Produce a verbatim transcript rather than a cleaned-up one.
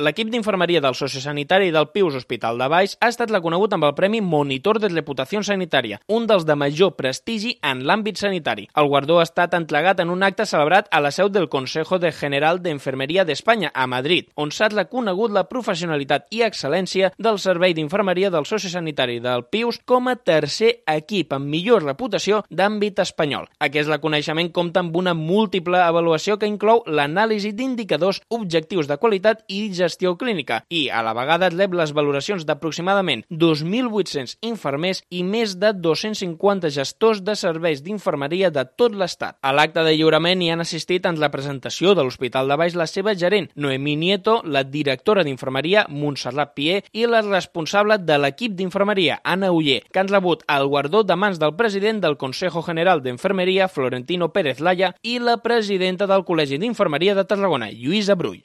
L'equip d'infermeria del sociosanitari del Pius Hospital de Valls ha estat reconegut amb el Premi Monitor de Reputació Sanitària, un dels de major prestigi en l'àmbit sanitari. El guardó ha estat entregat en un acte celebrat a la seu del Consejo de General de Enfermería de España, a Madrid, on s'ha reconegut la professionalitat i excel·lència del servei d'infermeria del sociosanitari del Pius com a tercer equip amb millor reputació d'àmbit espanyol. Aquest reconeixement compta amb una múltiple avaluació que inclou l'anàlisi d'indicadors objectius de qualitat i gestió clínica i, a la vegada, rep les valoracions d'aproximadament dos mil vuit-cents infermers i més de dos-cents cinquanta gestors de serveis d'infermeria de tot l'Estat. A l'acte de lliurament hi han assistit en representació de l'Hospital de Valls la seva gerent, Noemí Nieto, la directora d'infermeria, Montserrat Pier, i la responsable de l'equip d'infermeria, Anna Uller, que han rebut el guardó de mans del president del Consejo General d'Enfermeria, Florentino Pérez Laya, i la presidenta del Col·legi d'Infermeria de Tarragona, Lluïsa Brull.